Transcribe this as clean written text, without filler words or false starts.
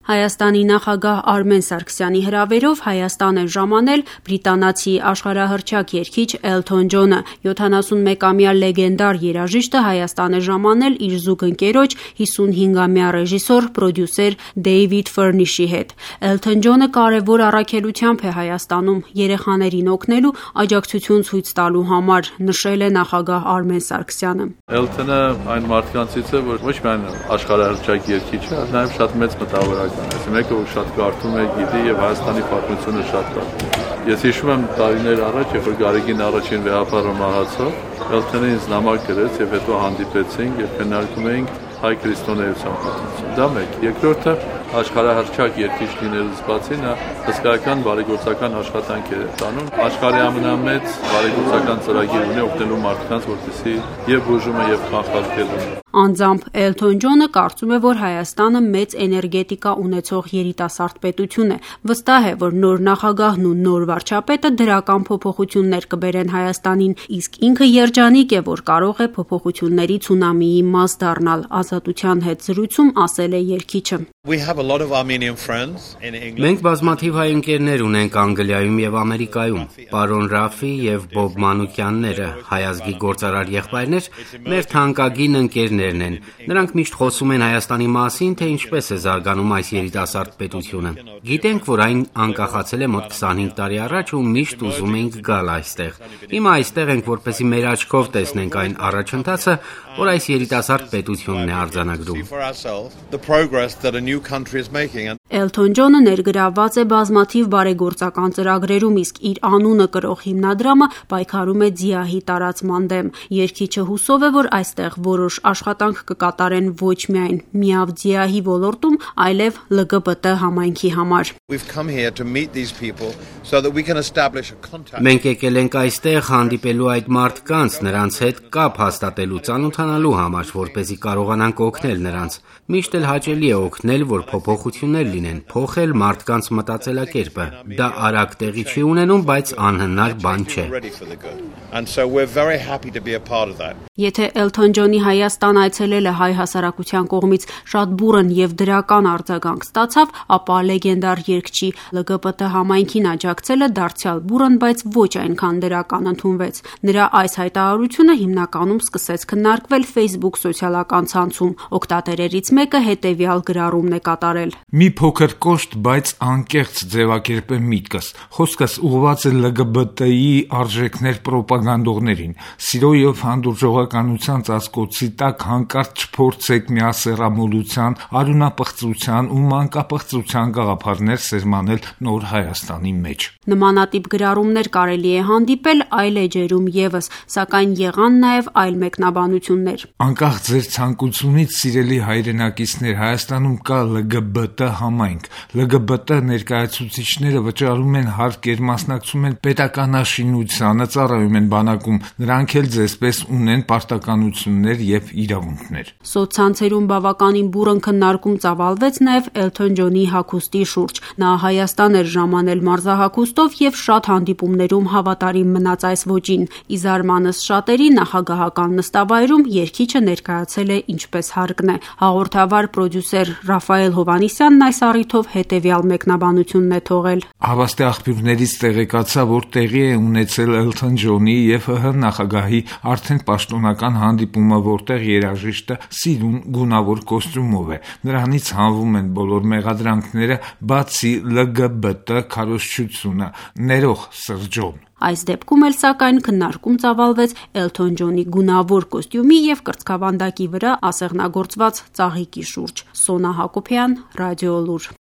Հայաստանի նախագահ Արմեն Սարգսյանի հրավերով Հայաստան է ժամանել բրիտանացի աշխարհահռչակ երգիչ Էլթոն Ջոնը։ 71-ամյա լեգենդար երաժիշտը Հայաստան է ժամանել իր զուգընկերոջ 55-ամյա ռեժիսոր, պրոդյուսեր Դեյվիդ Ֆըրնիշի հետ։ Էլթոն Ջոնը կարևոր առաքելությամբ է Հայաստանում երեխաներին օգնելու, աջակցություն ցույց տալու համար, նշել է նախագահ Արմեն Սարգսյանը։ Էլթոնը այն մարդկանցից է, որ ոչ միայն աշխարհահռչակ երգիչ է, այլ նաև շատ մեծ մտավորական է։ Մեկը որ շատ կարդում է, գիտի եւ Հայաստանի պատմությունը շատ կարդում։ Ես հիշում եմ տարիներ առաջ, երբ որ Գարեգին առաջին վեհապարը մահացավ, Էլթոնը ինձ նամակ գրեց եւ հետո հանդիպեցինք եւ քննարկում էինք հայ քրիստոնեության պատմություն։ Դա մեկ։ Երկրորդը աշխարհահռչակ երգիչ լինելուց բացի նա հսկայական բարեգործական աշխատանք է տանում։ Աշխարհի ամենամեծ բարեգործական ծրագիր ունի օգնելու մարդկանց, որպեսզի եւ բուժումը եւ կանխարգելումը։ Անձամբ Էլթոն Ջոնը կարծում է, որ Հայաստանը մեծ էներգետիկա ունեցող երիտասարդ պետություն է։ Վստահ է, որ նոր նախագահն ու նոր վարչապետը դրական փոփոխություններ կբերեն Հայաստանին, իսկ ինքը երջանիկ է, որ կարող է փոփոխությունների ցունամիի մաս դառնալ։ Ազատության հետ զրույցում ասել է երգիչը։ Մենք բազմաթիվ հայ ընկերներ ունենք Անգլիայում եւ Ամերիկայում։ Պարոն Ռաֆի եւ Բոբ Մանուկյանները, հայազգի գործարար եղբայրներ, մեր թանկագին ընկերներն են։ Նրանք միշտ խոսում են Հայաստանի մասին, թե ինչպես է զարգանում այս երիտասարդ պետությունը։ Գիտենք, որ այն անկախացել է մոտ 25 տարի առաջ ու միշտ ուզում էինք գալ այստեղ։ Հիմա այստեղ ենք, որպեսզի մեր աչքով տեսնենք այն առաջընթացը, որ այս երիտասարդ պետությունն է արձանագրում։ Էլթոն Ջոնը ներգրավված է բազմաթիվ բարեգործական ծրագրերում, իսկ իր անունը կրող հիմնադրամը պայքարում է ՁԻԱՀ-ի տարածման դեմ։ Երգիչը հուսով է, որ այստեղ որոշ աշխատանք կկատարեն ոչ միայն միավ ՁԻԱՀ-ի ոլորտում, այլև ԼԳԲՏ համայնքի համար։ Մենք եկել ենք այստեղ հանդիպելու այդ մարդկանց, նրանց հետ կապ հաստատելու, ծանոթանալու համար, որպեսզի կարողանանք օգնել նրանց։ Միշտ էլ հաճելի է օգնել, որ փոփոխություններ լինեն, փոխել մարդկանց մտածելակերպը։ Դա արագ տեղի չի ունենում, բայց անհնար բան չէ։ Եթե Էլթոն Ջոնի Հայաստան այցելելը հայ հասարակության կողմից շատ բուռն եւ դրական արձագանք ստացավ, ապա լեգենդար երգչի ԼԳԲՏ համայնքին աջակցելը դարձյալ բուռն, բայց ոչ այնքան դրական ընդունվեց։ Նրա այս հայտարարությունը հիմնականում սկսեց քննարկվել Facebook սոցիալական ցանցում։ Օգտատերերից մեկը հետևյալ գրառումն է կատարել. Մի փոքր կոշտ, բայց անկեղծ ձևակերպ է միտքս։ Խոսքս ուղղված է ԼԳԲՏ-ի արժեքներ պրոպագանդողներին։ Սիրո եւ հանդուրժողականության ծածկոցի տակ հանկարծ չփորձեք միասեռամոլության, արյունապղծության ու մանկապղծության գաղափարներ սերմանել նոր Հայաստանի մեջ։ Նմանատիպ գրառումներ կարելի է հանդիպել այլ էջերում եւս, սակայն եղան նաեւ այլ մեկնաբանություններ։ Անկախ ձեր ցանկությունից, սիրելի հայրենակիցներ, Հայաստանում կա ԼԳԲՏ համայնք։ ԼԳԲՏ ներկայացուցիչները վճարում են հարկեր, մասնակցում են պետականաշինությանը, ծառայում են բանակում, նրանք էլ ձեզպես ունեն պարտականություններ եւ իրավունքներ։ Սոցցանցերում բավականին բուռն քննարկում ծավալվեց նաեւ Էլթոն Ջոնի հագուստի շուրջ։ Նա Հայաստան էր ժամանել մարզահագուստով եւ շատ հանդիպումներում հավատարիմ մնաց այս ոճին։ Ի զարմանս շատերի նախագահական նստավայրում երգիչը ներկայացել է ինչպես հարկն է։ Հաղորդավար պրոդյուսեր Ռաֆայել Հովանիսյանն այս առիթով հետևյալ մեկնաբանությունն է թողել. Հավաստի աղբյուրներից տեղեկացա, որ տեղի է ունեցել Էլթոն Ջոնի եւ ՀՀ նախագահի արդեն պաշտոնական հանդիպումը, որտեղ երաժիշտը սիրուն գունավոր կոստյումով է։ Նրանից հանվում են բոլոր մեղադրանքները, բացի ԼԳԲՏ քարոզչությունը, ներող Սրճոն։ Այս դեպքում էլ սակայն քննարկում ծավալվեց Էլթոն Ջոնի գունավոր կոստյումի եւ կրծքավանդակի վրա ասեղնագործված ծաղիկի շուրջ։ Սոնա Հակոբյան, Ռադիոլուր։